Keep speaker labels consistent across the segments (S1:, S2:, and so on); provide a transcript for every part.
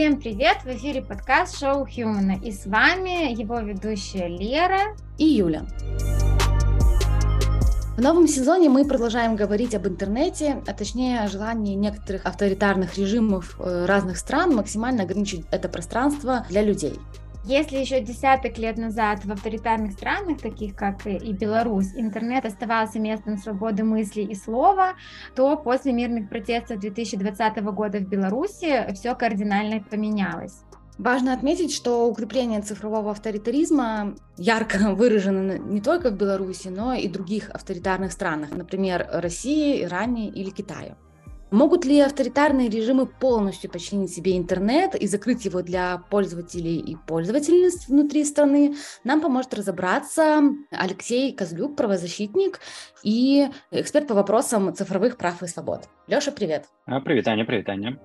S1: Всем привет! В эфире подкаст «Шоу Хьюмана». И с вами его ведущая Лера
S2: и Юля. В новом сезоне мы продолжаем говорить об интернете, а точнее о желании некоторых авторитарных режимов разных стран максимально ограничить это пространство для людей.
S1: Если еще десяток лет назад в авторитарных странах, таких как и Беларусь, интернет оставался местом свободы мысли и слова, то после мирных протестов 2020 года в Беларуси все кардинально поменялось.
S2: Важно отметить, что укрепление цифрового авторитаризма ярко выражено не только в Беларуси, но и в других авторитарных странах, например, России, Иране или Китае. Могут ли авторитарные режимы полностью подчинить себе интернет и закрыть его для пользователей и пользовательниц внутри страны? Нам поможет разобраться Алексей Козлюк, правозащитник и эксперт по вопросам цифровых прав и свобод. Леша, привет.
S3: Привет, Аня.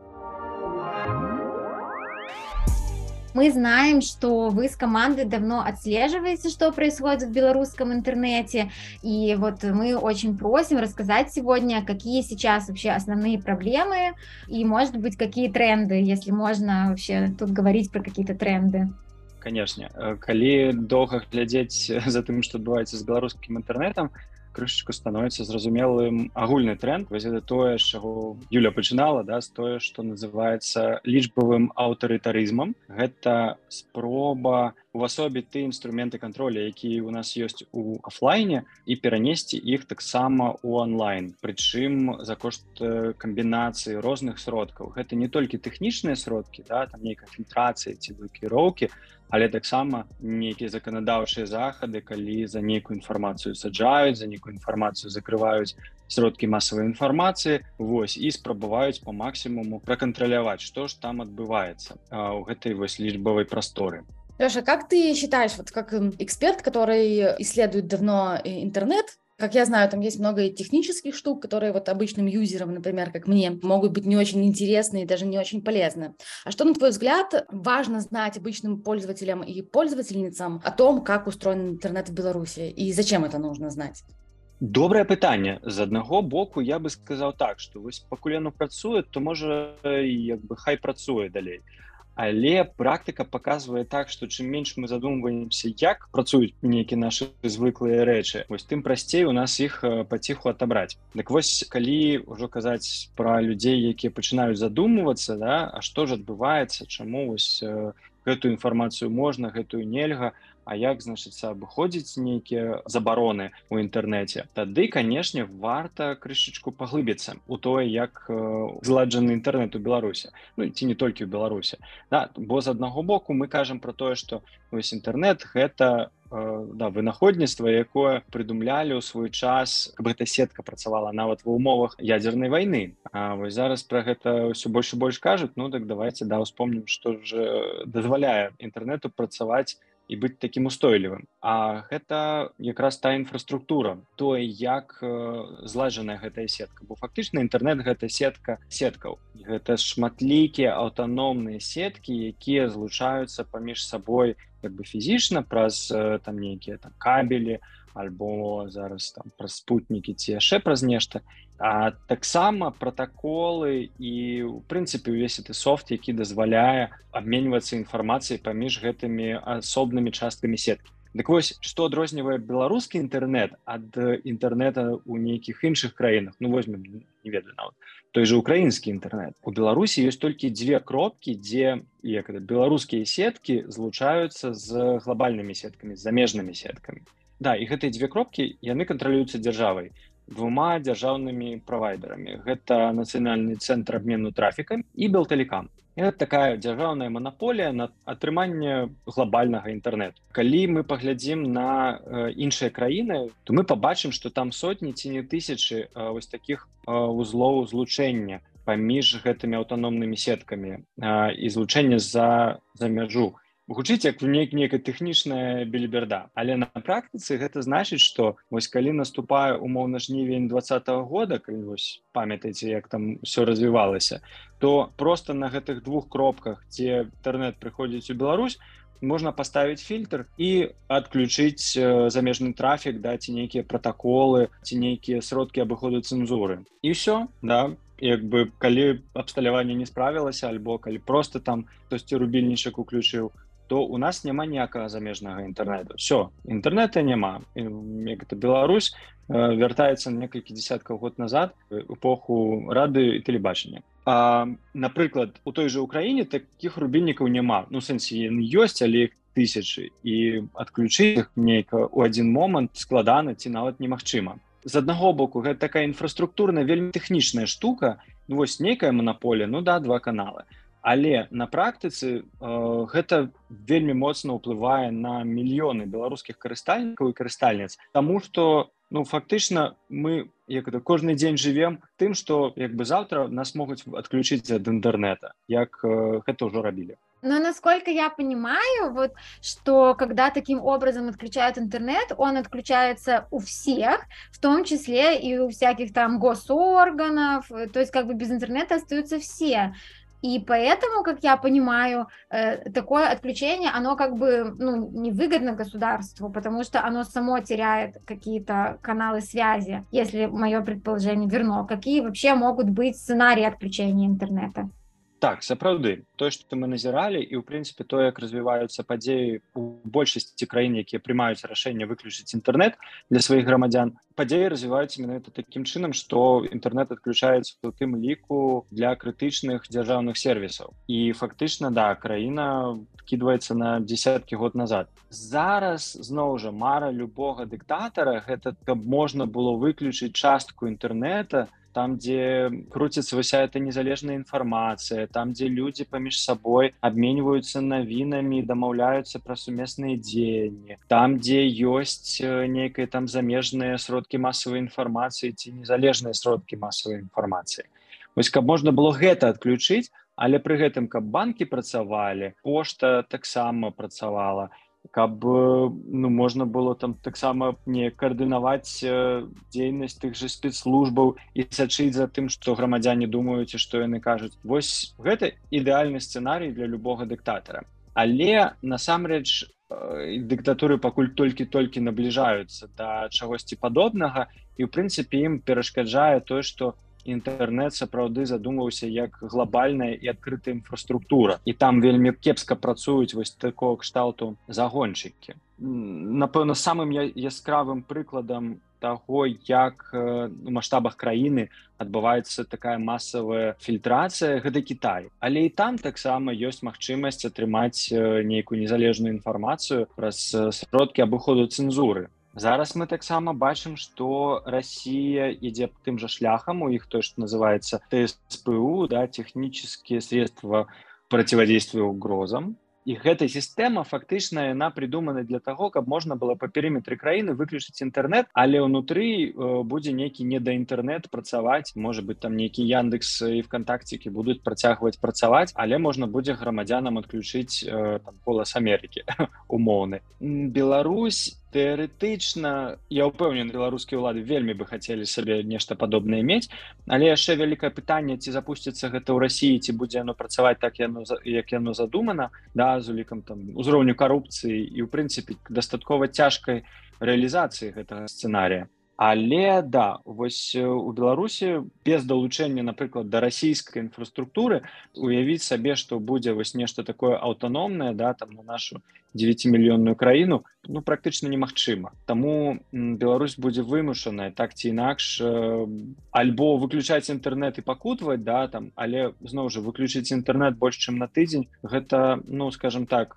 S1: Мы знаем, что вы с командой давно отслеживаете, что происходит в белорусском интернете, и вот мы очень просим рассказать сегодня, какие сейчас вообще основные проблемы и, может быть, какие тренды, если можно вообще тут говорить про какие-то тренды.
S3: Конечно. Калі доўга глядзець за тым, што адбываецца з беларускім інтэрнэтам, крышачку становіцца зразумелым агульны тренд. Вось гэта тое, з чаго Юля пачынала, з тое, што называецца лічбавым аўтарытарызмам. Гэта спроба увасобіць тыя інструменты кантроля, якія ў нас ёсць у афлайне, і перанесці іх таксама ў онлайн. Прычым за кошт камбінацыі розных сродкаў. Гэта не толькі тэхнічныя сродкі, там нейкая фільтрацыя ці блакіроўкі, але таксама нейкія заканадаўчыя захады, калі за нейкую інфармацыю саджаюць, за нейкую інфармацыю закрываюць сродкі масавай інфармацыі, і спрабаваюць по максімуму пракантраляваць, што ж там адбываецца ў гэтай лічбавай прасторы.
S2: Леша, как ты считаешь, вот как эксперт, который исследует давно интернет, как я знаю, там есть много технических штук, которые вот обычным юзерам, например, как мне, могут быть не очень интересны и даже не очень полезны. А что, на твой взгляд, важно знать обычным пользователям и пользовательницам о том, как устроен интернет в Беларуси и зачем это нужно знать?
S3: Добрае пытанне. З аднаго боку я бы сказаў так, што пакуль яно працуе, то можа хай працуе далей. Але практыка паказвае так, што чым менш мы задумваемся, як працуюць нейкія нашы звыклыя рэчы, тым прасцей у нас іх паціху адабраць. Дык калі ўжо казаць пра людзей, якія пачынаюць задумвацца, а што ж адбываецца, чаму гэтую інфармацыю можна, гэтую нельга, а як, абыходзіць нейкія забароны ў інтэрнэце, тады, канешне, варта крышачку паглыбіцца ў тое, як зладжаны інтэрнэт у Беларусі, ці не толькі ў Беларусі. Бо з аднаго боку мы кажам пра тое, што інтэрнэт гэта вынаходніцтва, якое прыдумлялі ў свой час, каб гэта сетка працавала нават ва ўмовах ядзернай вайны. А зараз пра гэта ўсё больш і больш кажуць, так давайце успомнім, што ж дазваляе інтэрнэту працаваць і быць такім устойлівым. А гэта якраз та інфраструктура, тое, як зладжаная гэтая сетка. Бо фактычна інтэрнэт гэта сетка сеткаў. Гэта шматлікія аўтаномныя сеткі, якія злучаюцца паміж сабой фізічна праз нейкія кабелі, альбо зараз праз спутнікі ці яшчэ праз нешта. А таксама пратаколы і, у прынцыпе, увесь гэты софт, які дазваляе абменьвацца інфармацыяй паміж гэтымі асобнымі часткамі сеткі. Дык што адрознівае беларускі інтэрнэт ад інтэрнэта ў нейкіх іншых краінах? Возьмем, не ведаю нават, той жа украінскі інтэрнэт. У Беларусі ёсць толькі дзве кропкі, дзе беларускія сеткі злучаюцца з глобальнымі сеткамі, з замежнымі сеткамі. І гэтыя дзве кропкі, яны кантралююцца дзяржавай, двума дзяржаўнымі правайдарамі. Гэта Нацыянальны цэнтр абмену трафікам і Белтэлекам. Гэта такая дзяржаўная манаполія на атрыманне глобальнага інтэрнэту. Калі мы паглядзім на іншыя краіны, то мы пабачым, што там сотні ці не тысячы такіх узлоў злучэння паміж гэтымі аўтаномнымі сеткамі і злучэння за мяжу. Гучыць як нейкая тэхнічная беліберда. Але на практыцы гэта значыць, што калі наступае умоўна жнівень 2020 года, калі памятаеце, як там ўсё развівалася, то проста на гэтых двух кропках, дзе інтэрнэт прыходзіць у Беларусь, можна паставіць фільтр і адключыць замежны трафік, ці нейкія пратаколы, ці нейкія сродкі абыходу цэнзуры. І ўсё, як бы калі абсталяванне не справілася альбо калі просто там хтосьці рубільнічак уключыў, то у нас няма ніякага замежнага інтэрнэту. Всё, інтэрнэта няма. Як это Беларусь вяртаецца некалькі дзесяткаў год назад у эпоху рады і тэлебачання. Напрыклад, у той жа Украіне такіх рубільнікаў няма. Ну, сэнсе, ёсць, але іх тысячы. І адключыць іх нейка ў адзін момант складана ці нават немагчыма. З аднаго боку, гэта такая інфраструктурная, вельмі тэхнічная штука. Ну, вось нейкая манаполія, ну да, 2 каналы. Але на практыцы гэта вельмі моцна ўплывае на мільёны беларускіх карыстальнікаў і карыстальніц, таму што ну фактычна мы як это кожны дзень жывем тым, што як бы заўтра нас могуць адключыць ад інтэрнэта, як гэта ўжо рабілі.
S1: Но насколько я понимаю, вот, что когда таким образом отключают интернет, он отключается у всех, в том числе и у всяких там госорганов, то есть как бы без интернета остаются все. И поэтому, как я понимаю, такое отключение, оно как бы ну, невыгодно государству, потому что оно само теряет какие-то каналы связи, если мое предположение верно. Какие вообще могут быть сценарии отключения интернета?
S3: Так, сапраўды, тое, што мы назіралі, і ў прынцыпе тое, як развіваюцца падзеі ў большасці краін, якія прымаюць рашэнне выключыць інтэрнэт для сваіх грамадзян, падзеі развіваюцца менавіта такім чынам, што інтэрнэт адключаецца ў тым ліку для крытычных дзяржаўных сервісаў. І фактычна, да, краіна кідваецца на дзесяткі год назад. Зараз, зноў жа, мара любога дыктатара, гэта каб можна было выключыць частку інтэрнэта, там, дзе круціцца вся эта незалежная інфармацыя, там, дзе людзі паміж сабой абменьваюцца навінамі, дамаўляюцца пра сумесныя дзеянні, там, дзе ёсць нейкія там замежныя сродкі масавай інфармацыі ці незалежныя сродкі масавай інфармацыі. Вось каб можна было гэта адключыць, але пры гэтым каб банкі працавалі, пошта таксама працавала, каб ну, можна было там таксама не каардынаваць дзейнасць тых жа спецслужбаў і сачыць за тым, што грамадзяне думаюць і што яны кажуць. Вось гэта ідэальны сцэнарый для любога дыктатара. Але насамрэч дыктатуры пакуль толькі набліжаюцца да чагосьці падобнага і ў прынцыпе ім перашкаджае тое, што інтэрнэт сапраўды задумаўся як глобальная і адкрытая інфраструктура. І там вельмі кепска працуюць вось такого кшталту загоншчыкі. Напэўна, самым яскравым прыкладам таго, як у маштабах краіны адбываецца такая масавая фільтрацыя, гэта Кітай. Але і там таксама ёсць магчымасць атрымаць нейкую незалежную інфармацыю праз сродкі абыходу цэнзуры. Зараз мы таксама бачым, што Расія ідзе тым жа шляхам, у іх тое, што называецца ТСПУ, да, технические средства противодействия угрозам. І гэта сістэма фактычна яна придумана для таго, каб можна было па перыметры краіны выключыць інтэрнэт, але ўнутры будзе нейкі недаінтэрнэт працаваць, можа быць там нейкі Яндекс і ВКонтакцікі будуць працягваць працаваць, але можна будзе грамадзянам адключыць там голас Амерыкі умоўны. Беларусь тэарэтычна, я ўпэўнены, беларускія ўлады вельмі бы хацелі сабе нешта падобнае мець, але яшчэ вялікае пытанне, ці запусціцца гэта ў Расіі, ці будзе яно працаваць так, як яно задумана, да, з улікам там узроўню карупцыі і ў прынцыпе дастаткова цяжкай рэалізацыі гэтага сцэнарыя. Але да, вось у Беларусі без далучэння, напрыклад, да расійскай інфраструктуры уявіць сабе, што будзе вось нешта такое аўтаномнае, да, там на нашу 9-мільённую краіну, ну практычна немагчыма. Таму Беларусь будзе вымушаная так ці інакш альбо выключаць інтэрнэт і пакутваць, да, там, але зноў жа выключыць інтэрнэт больш чым на тыдзень, гэта, ну, скажем так,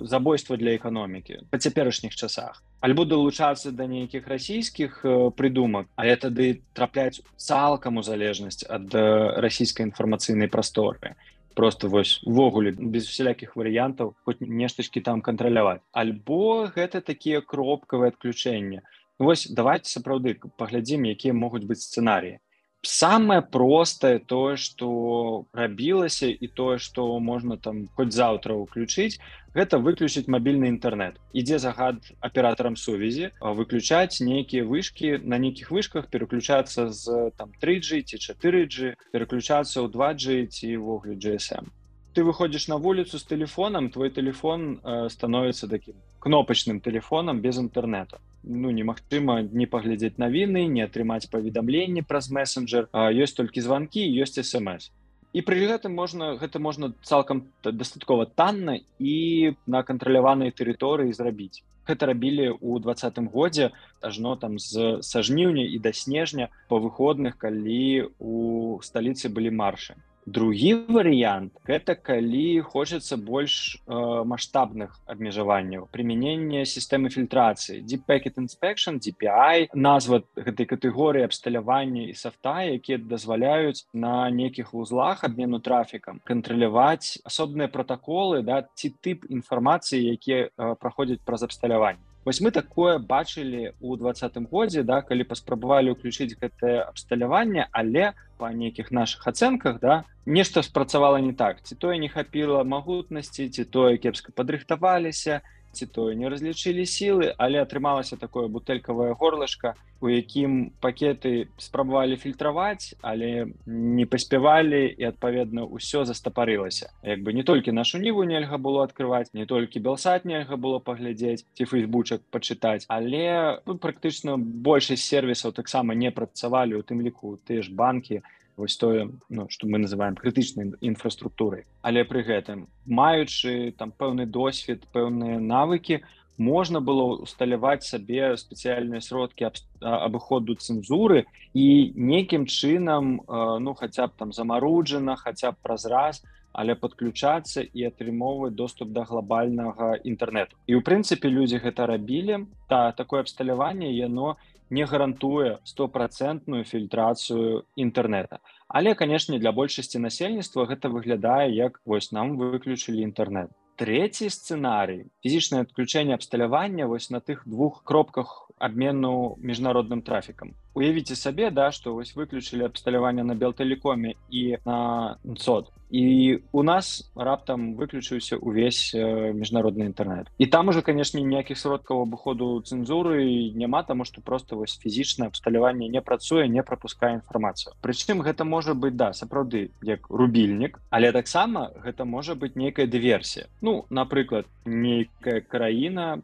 S3: забойства для эканомікі па цяперашніх часах. Альбо далучацца да нейкіх расійскіх прыдумак, але тады трапляць цалкам у залежнасць ад расійскай інфармацыйнай прасторы. Просто вось увогуле без усялякіх варыянтаў хоць нештачкі там кантраляваць. Альбо гэта такія кропкавыя адключэнні. Вось давайте сапраўды паглядзім, якія могуць быць сцэнарыі. Самае простае тое, што рабілася і тое, што можна там хоць заўтра ўключыць, гэта выключыць мабільны інтэрнэт. Ідзе загад аператарам сувязі выключаць нейкія вышкі, на нейкіх вышках пераключацца з там 3G ці 4G, пераключацца ў 2G ці ўвогуле GSM. Ты выходзіш на вуліцу з тэлефонам, твой тэлефон становіцца такім кнопачным тэлефонам без інтэрнэту. немагчыма не паглядзець навіны, не атрымаць паведамленні праз месенджер, ёсць толькі званкі, ёсць смс. І пры гэтым гэта можна цалкам дастаткова танна і на кантраляванай тэрыторыі зрабіць. Гэта рабілі ў 2020 годзе, ажно там са жніўня і да снежня па выходных, калі у сталіцы былі маршы. Другі варыянт – гэта калі хочацца больш маштабных абмежаванняў. Прымяненне сістэмы фільтрацыі. Deep Packet Inspection, DPI, назва гэтай катэгорыі абсталявання і софта, якія дазваляюць на нейкіх вузлах абмену трафікам кантраляваць асобныя пратаколы, ці тып інфармацыі, якія праходзяць праз абсталяванне. Вось мы такое бачылі ў 2020 годзе, калі паспрабавалі ўключыць гэтае абсталяванне, але па нейкіх нашых ацэнках нешта спрацавала не так. Ці тое не хапіла магутнасці, ці тое кепска падрыхтаваліся, ці тое не разлічылі сілы, але атрымалася такое бутэлькавае горлышко, у якім пакеты спрабавалі фільтраваць, але не паспявалі і, адпаведна, ўсё застапарылася. Не толькі нашу Ніву нельга было адкрываць, не толькі Белсат нельга было паглядзець, ці фейсбучак пачытаць, але практычна большасць сервісаў таксама не працавалі, у тым ліку тыя ж банкі, вось тое, што мы называем крытычнай інфраструктурай. Але пры гэтым, маючы там пэўны досвед, пэўныя навыкі, можна было усталяваць сабе спецыяльныя сродкі абыходу цэнзуры і нейкім чынам, хаця б там замаруджана, хаця б праз раз, але падключацца і атрымоўваць доступ да глобальнага інтэрнэту. І, ў прынцыпе, людзі гэта рабілі. Такое абсталяванне, яно не гарантуе 100% фільтрацыю інтэрнэта. Але, канешне, для большасці насельніцтва гэта выглядае, як вось нам выключылі інтэрнэт. Трэці сцэнарый – фізічнае адключэнне абсталявання вось на тых двух кропках абмену міжнародным трафікам. Уявіце сабе, што вось выключылі абсталяванне на Белтэлекоме і на НЦОД. І у нас раптам выключыўся увесь міжнародны інтэрнэт. І там уже, канешне, ніякіх сродкаў абыходу цэнзуры няма, таму што проста вось фізічнае абсталяванне не працуе, не прапускае інфармацыю. Прычым гэта можа быць, сапраўды, як рубільнік, але таксама гэта можа быць нейкая дыверсія. Напрыклад, нейкая краіна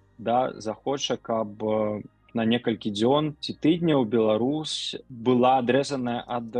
S3: захоча, каб на некалькі дзён ці тыдняў Беларусь была адрэзаная ад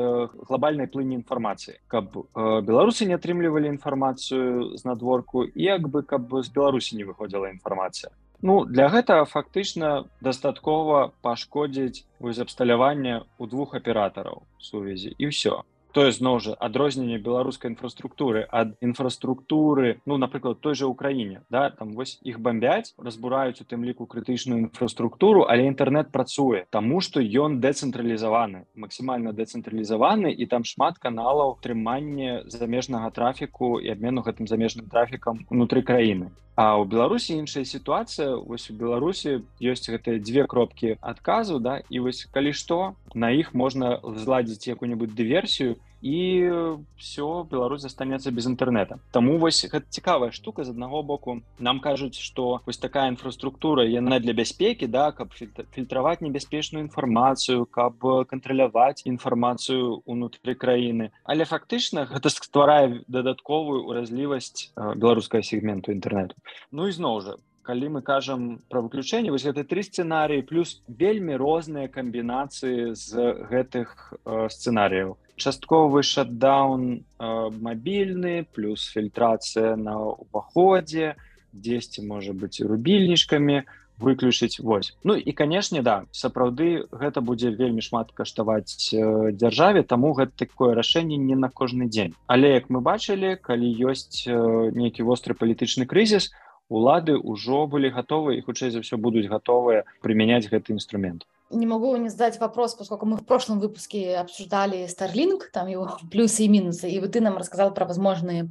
S3: глобальнай плыні інфармацыі, каб беларусы не атрымлівалі інфармацыю з надворку і каб з Беларусі не выходзіла інфармацыя. Для гэтага фактычна дастаткова пашкодзіць абсталяванне ў двух аператараў сувязі і ўсё. Тое, зноў жа, адрозненне беларускай інфраструктуры ад інфраструктуры, напрыклад, той жа Украіне. Там вось іх бамбяць, разбураюць у тым ліку крытычную інфраструктуру, але інтэрнэт працуе, таму што ён дэцэнтралізаваны, максімальна дэцэнтралізаваны, і там шмат каналаў трымання замежнага трафіку і абмену гэтым замежным трафікам унутры краіны. А ў Беларусі іншая сітуацыя. Вось у Беларусі ёсць гэтыя дзве кропкі адказу, і вось калі што, на іх можна зладзіць якую-небудзь дыверсію, і все, Беларусь застанецца без інтэрнэта. Таму вось гэта цікавая штука. З аднаго боку, нам кажуць, што вось такая інфраструктура, яна для бяспекі, каб фільтраваць небяспечную інфармацыю, каб кантраляваць інфармацыю ўнутры краіны. Але фактычна гэта стварае дадатковую ўразлівасць беларускага сегменту інтэрнэту. І зноў жа, калі мы кажам пра выключэнне, вось гэта тры сцэнарыі, плюс вельмі розныя камбінацыі з гэтых сцэнарыяў. Частковы шатдаун мабільны, плюс фільтрацыя на ўваходзе, дзесьці, можа быць, рубільнічкамі выключыць. І, канешне, сапраўды гэта будзе вельмі шмат каштаваць дзяржаве, таму гэта такое рашэнне не на кожны дзень. Але, як мы бачылі, калі ёсць нейкі востры палітычны крызіс, улады ўжо былі гатовы і, хутчэй за ўсё, будуць гатовыя прымяняць гэты інструмент.
S2: Не могу не задать вопрос, поскольку мы в прошлом выпуске обсуждали Starlink, там его плюсы и минусы, и вот ты нам рассказал про возможные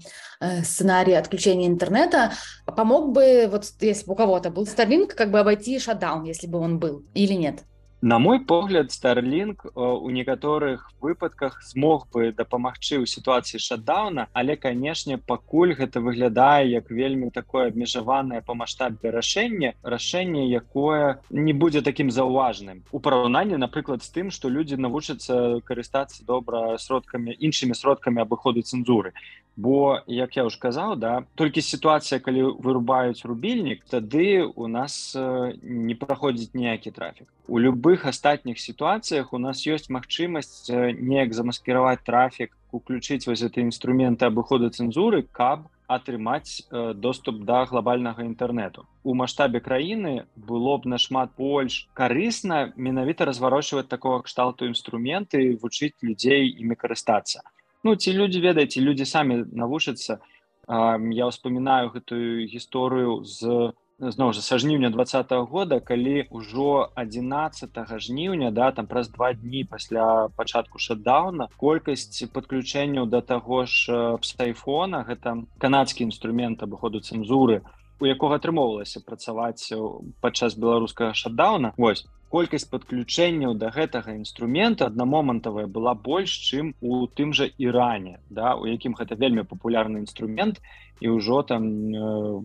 S2: сценарии отключения интернета. Помог бы, если бы у кого-то был Starlink, обойти шатдаун, если бы он был, или нет?
S3: На мой погляд, Starlink у некаторых выпадках змог бы дапамагчы ў сітуацыі шатдауна, але, канешне, пакуль гэта выглядае як вельмі такое абмежаванае па маштабе рашэнне, якое не будзе такім заўважным. У параўнанні, напрыклад, з тым, што людзі навучацца карыстацца добра іншымі сродкамі абыходу цэнзуры. Бо, як я ўжо казаў, да, толькі сітуацыя, калі вырубаюць рубільнік, тады у нас не праходзіць ніякі трафік. У любых астатніх сітуацыях у нас ёсць магчымасць неяк замаскіраваць трафік, уключыць вось гэты інструменты абыходу цэнзуры, каб атрымаць доступ да глобальнага інтэрнэту. У маштабе краіны было б нашмат больш карысна менавіта разварочваць такога кшталту інструменты і вучыць людзей імі карыстацца. Ну, ці людзі, ведаеце, людзі самі навучацца. Я ўспамінаю гэтую гісторыю зноў жа са жніўня 2020 года, калі ўжо 11 жніўня, да, там праз 2 дні пасля пачатку шатдауна, колькасць падключэнняў да таго ж псайфона, гэта канадскі інструмент абыходу цэнзуры, у якога атрымоўвалася працаваць падчас беларускага шатдауна. Вось, колькасць падключэнняў да гэтага інструмента аднамомантавая была больш, чым у тым жа Іране, да, у якім гэта вельмі папулярны інструмент, і ўжо там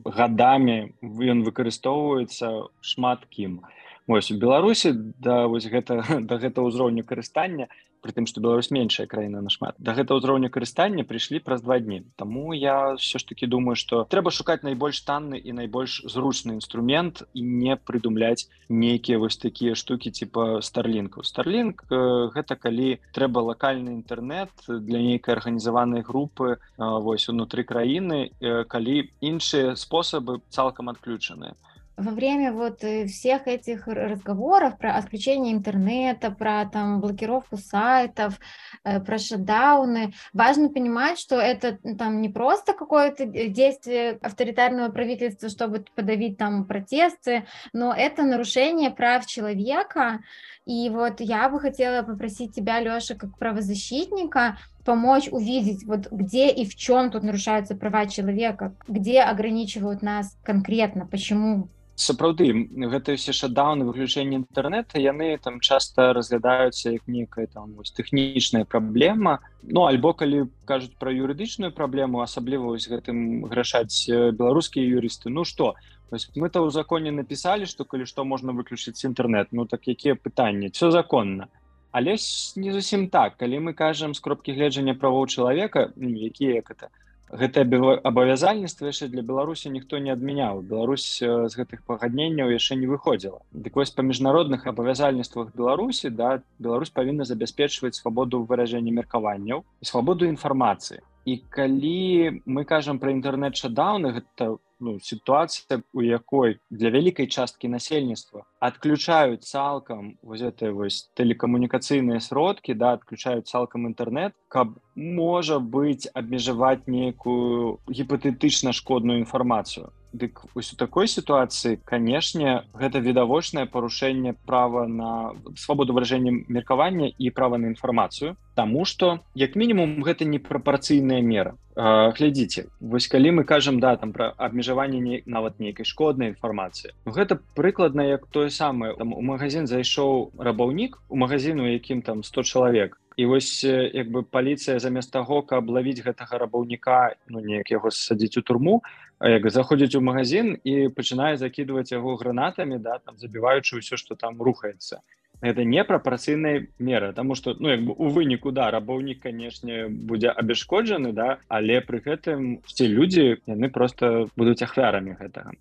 S3: гадамі ён выкарыстоўваецца шмат кім. Вось, у Беларусі да гэтага ўзроўню карыстання, пры тым, што Беларусь меншая краіна нашмат, да гэтага ўзроўню карыстання прыйшлі праз 2 дні. Таму я ўсё ж такі думаю, што трэба шукаць найбольш танны і найбольш зручны інструмент і не прыдумляць нейкія вось такія штукі типа Starlink. Starlink гэта калі трэба лакальны інтэрнэт для нейкай арганізаванай групы вось унутры краіны, калі іншыя спосабы цалкам адключаныя.
S1: Во время вот всех этих разговоров про отключение интернета, про там блокировку сайтов, про шатдауны, важно понимать, что это там не просто какое-то действие авторитарного правительства, чтобы подавить там протесты, но это нарушение прав человека. И вот я бы хотела попросить тебя, Лёша, как правозащитника, помочь увидеть, вот где и в чем тут нарушаются права человека, где ограничивают нас конкретно, почему.
S3: Сапраўды, гэтыя ўсе шатдауны, выключэнне інтэрнэта, яны там часта разглядаюцца як некая там вось тэхнічная праблема. Ну, альбо калі кажуць пра юрыдычную праблему, асабліва вось гэтым грашаць беларускія юрысты. Ну што, мы-то ў законе напісалі, што калі што можна выключыць інтэрнэт. Ну так якія пытанні? Всё законна. Але не зусім так. Калі мы кажам з кропкі гледжання правоў чалавека, якія як это, гэтае абавязальніцтва яшчэ для Беларусі ніхто не адмяняў. Беларусь з гэтых пагадненняў яшчэ не выходзіла. Дык вось па міжнародных абавязальніцтвах Беларусі, да, Беларусь павінна забяспечваць свабоду выражэння меркаванняў і свабоду інфармацыі. І калі мы кажам пра інтэрнэт-шатдауны, гэта сітуацыя, у якой для вялікай часткі насельніцтва адключаюць цалкам вось гэтыя вось тэлекамунікацыйныя сродкі, да, адключаюць цалкам інтэрнэт, каб, можа быць, абмежаваць нейкую гіпатэтычна шкодную інфармацыю. Дык вось у такой сітуацыі, канешне, гэта відавочнае парушэнне права на свабоду выражэння меркавання і права на інфармацыю, таму што, як мінімум, гэта непрапарцыйная мера. Глядзіце, вось калі мы кажам, да, там пра абмежаванне нават нейкай шкоднай інфармацыі, гэта прыкладна як тое самае. Там у магазин зайшоў рабаўнік, у магазін, у якім там 100 чалавек, і вось як бы паліцыя замест таго, каб лавіць гэтага рабаўніка, неяк яго садзіць у турму, як заходзіць у магазин і пачынае закідваць яго гранатамі, да, там забіваючы ўсё, што там рухаецца. Гэта непрапарцыйная мера, таму што, як бы у выніку, да, рабаўнік, канешне, будзе абясшкоджаны, да, але пры гэтым ці людзі, яны проста будуць ахвярамі гэтага.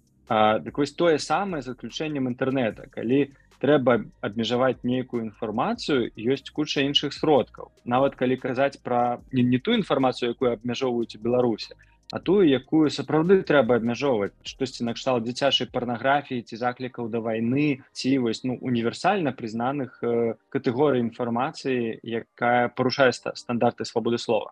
S3: Дык вось тое самае з адключэннем інтэрнэта. Калі трэба абмежаваць нейкую інфармацыю, ёсць куча іншых сродкаў. Нават калі казаць пра не ту інфармацыю, якую абмяжоўваюць у Беларусі, а тую, якую сапраўды трэба абмяжоўваць. Штосьці накшталт дзіцячай парнаграфіі ці заклікаў да вайны, ці вось, універсальна прызнаных катэгорый інфармацыі, якая парушае стандарты свабоды слова.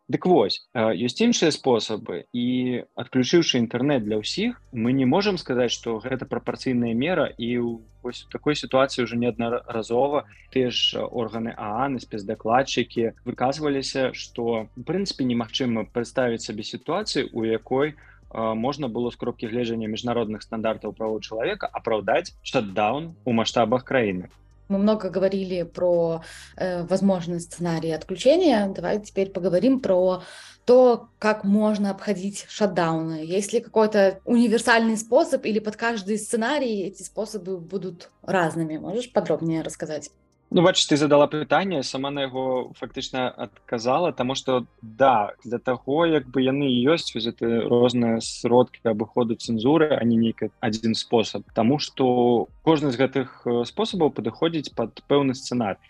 S3: Дык вось, ёсць іншыя спосабы, і адключыўшы інтэрнэт для ўсіх, мы не можам сказаць, што гэта прапарцыйная мера, і вось у такой сітуацыі ўжо неаднаразова тыя ж органы ААН і спецдакладчыкі выказваліся, што у прынцыпе немагчыма прадставіць сабе сітуацыю, у якой можна было з кропкі гледжання міжнародных стандартаў правоў чалавека апраўдаць шатдаун у маштабах краіны.
S2: Мы много говорили про возможный сценарий отключения. Давай теперь поговорим про то, как можно обходить шатдауны. Есть ли какой-то универсальный способ или под каждый сценарий эти способы будут разными? Можешь подробнее рассказать?
S3: Ну, бачыш, ты задала пытанне, сама на яго фактычна адказала, таму што да, для таго, як бы яны і ёсць вось гэты розныя сродкі абыходу цэнзуры, а не нейкі адзін спосаб. Таму што кожны з гэтых спосабаў падыходзіць пад пэўны сцэнар.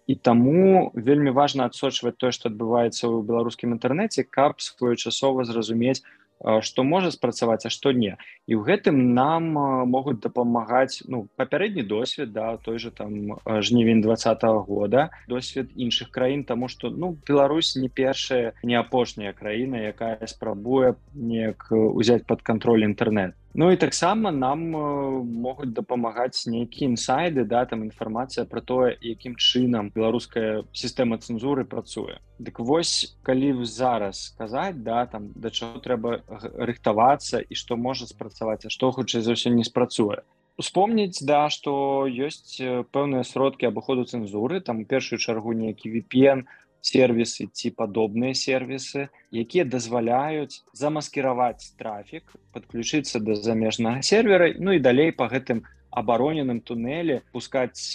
S3: І таму вельмі важна адсочваць тое, што адбываецца ў беларускім інтэрнэце, каб своечасова зразумець, што можа спрацаваць, а што не. І ў гэтым нам могуць дапамагаць папярэдні досвед, да, той же там жнівень 2020 года, досвед іншых краін, таму што Беларусь не першая, не апошняя краіна, якая спрабуе неяк узяць пад кантроль інтэрнэт. Ну і таксама нам могуць дапамагаць нейкія інсайды, да, там інфармацыя пра тое, якім чынам беларуская сістэма цэнзуры працуе. Дык вось, калі зараз сказаць, да, там, да чаго трэба рыхтавацца і што можа спрацаваць, а што хутчэй за ўсё не спрацуе. Успомніць, да, што ёсць пэўныя сродкі абыходу цэнзуры, там у першую чаргу нейкі VPN, сервісы ці падобныя сервісы, якія дазваляюць замаскіраваць трафік, падключыцца да замежнага сервера, і далей па гэтым абароненым тунэлі пускаць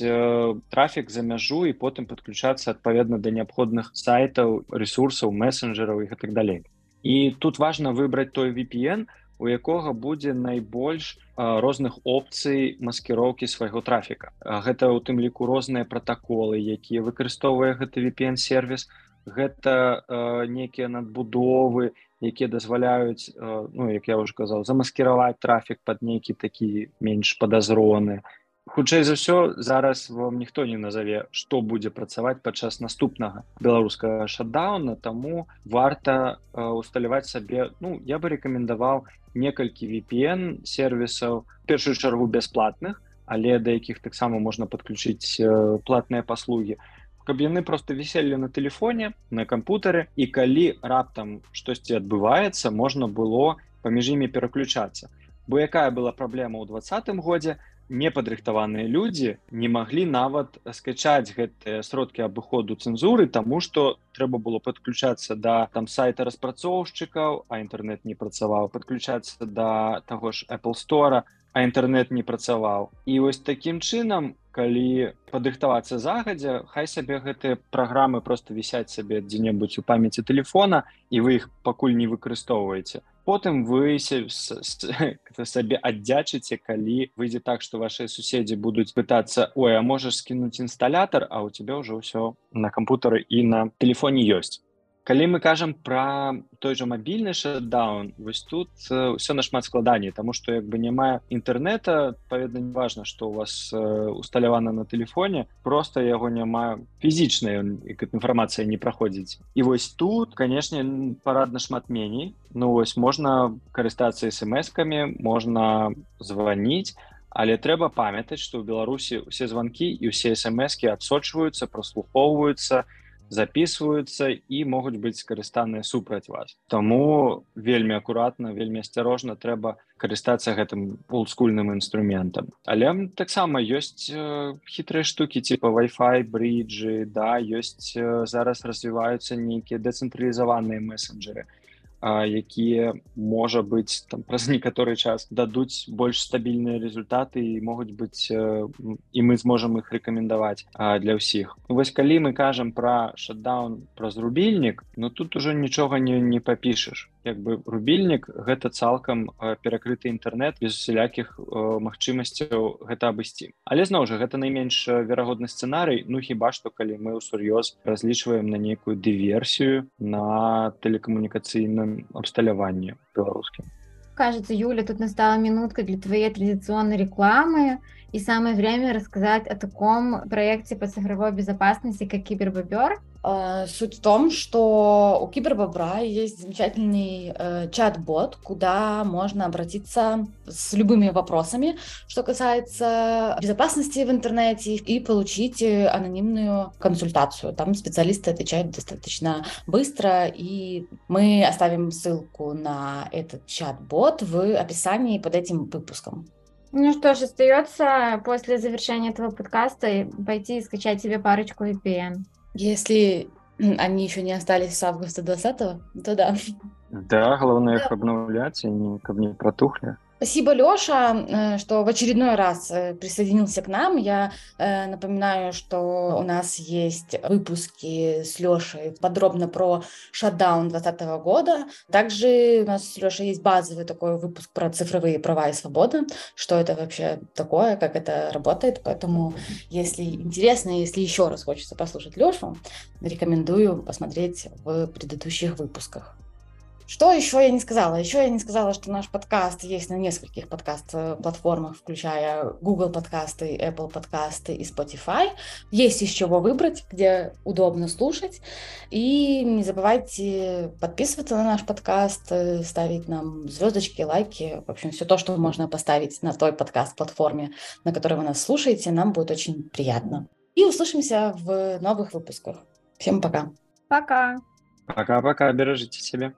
S3: трафік за мяжу і потым падключацца адпаведна да неабходных сайтаў, ресурсаў, месенджераў і гэтак далей. І тут важна выбраць той VPN, у якога будзе найбольш розных опцый маскіроўкі свайго трафіка. Гэта ў тым ліку розныя пратаколы, якія выкарыстоўвае гэты VPN-сервіс, гэта нейкія надбудовы, якія дазваляюць, як я ўжо казаў, замаскіраваць трафік пад нейкі такі менш падазроны. Хутчэй за ўсё, зараз вам ніхто не назаве, што будзе працаваць падчас наступнага беларускага шатдауна, таму варта усталяваць сабе, я бы рэкамендаваў некалькі VPN-сервісаў, в першую чаргу бясплатных, але да якіх таксама можна падключыць платныя паслугі, каб яны проста віселі на тэлефоне, на кампутары, і калі раптам штосьці адбываецца, можна было паміж імі пераключацца. Бо якая была праблема ў 2020 годзе, непадрыхтаваныя людзі не маглі нават скачаць гэтыя сродкі абыходу цэнзуры, таму што трэба было падключацца да сайта распрацоўшчыкаў, а інтэрнэт не працаваў, падключацца да таго ж Apple Store, а інтэрнэт не працаваў. І вось такім чынам, калі падрыхтавацца загадзя, хай сабе гэтыя праграмы проста вісяць сабе дзе-небудзь у памяці тэлефона, і вы іх пакуль не выкарыстоўваеце. Потым вы сабе аддзячыце, калі выйдзе так, што вашыя суседзі будуць пытацца: ой, а можаш скінуць інсталятар, а ў цябе ўжо ўсё на кампутары і на тэлефоне ёсць. Калі мы кажам пра той жа мабільны шатдаун, вось тут ўсё нашмат складаней, таму што няма інтэрнэта, адпаведна, не важна, што у вас усталявана на тэлефоне, проста яго няма фізічна, інфармацыя не праходзіць. І вось тут, канешне, парадна шмат меней. Вось можна карыстацца смс-камі, можна званіць, але трэба памятаць, што ў Беларусі ўсе званкі і ўсе смс-кі адсочваюцца, праслухоўваюцца, записываются і могуць быць скарыстаныя супраць вас. Таму вельмі акуратна, вельмі асцярожна трэба карыстацца гэтым олдскульным інструментам. Але таксама ёсць хітрыя штукі типа Wi-Fi, бріджы, да, ёсць зараз развіваюцца нейкія дэцэнтралізаваныя месенджеры, якія, можа быць, там праз некаторы час дадуць больш стабільныя результаты і могуць быць, і мы зможам іх рэкамендаваць для ўсіх. Вось калі мы кажам пра шатдаун праз рубільнік, тут ужо нічога не папішаш. Рубільнік — гэта цалкам перакрыты інтэрнэт, без усялякіх магчымасцяў гэта абысці. Але зноў жа, гэта найменш верагодны сцэнарый, хіба што калі мы ўсур'ёз разлічваем на нейкую дыверсію на тэлекамунікацыйным абсталяванні беларускім.
S1: Кажется, Юля, тут настала минутка для твоей традиционной рекламы, и самое время рассказать о таком проекте по цифровой безопасности, как Кибербобер.
S2: Суть в том, что у Кибербобра есть замечательный чат-бот, куда можно обратиться с любыми вопросами, что касается безопасности в интернете, и получить анонимную консультацию. Там специалисты отвечают достаточно быстро, и мы оставим ссылку на этот чат-бот в описании под этим выпуском.
S1: Ну что ж, остается после завершения этого подкаста пойти и скачать себе парочку VPN.
S2: Если они еще не остались с августа 2020, то да.
S3: Да, главное их обновлять, каб не протухли.
S2: Спасибо, Лёша, что в очередной раз присоединился к нам. Я напоминаю, что у нас есть выпуски с Лёшей подробно про шатдаун 2020 года. Также у нас с Лёшей есть базовый такой выпуск про цифровые права и свободы, что это вообще такое, как это работает. Поэтому, если интересно, если еще раз хочется послушать Лёшу, рекомендую посмотреть в предыдущих выпусках. Что еще я не сказала? Еще я не сказала, что наш подкаст есть на нескольких подкаст-платформах, включая Google подкасты, Apple подкасты и Spotify. Есть из чего выбрать, где удобно слушать. И не забывайте подписываться на наш подкаст, ставить нам звездочки, лайки. В общем, все то, что можно поставить на той подкаст-платформе, на которой вы нас слушаете, нам будет очень приятно. И услышимся в новых выпусках. Всем пока.
S1: Пока.
S3: Пока-пока, бережите себя.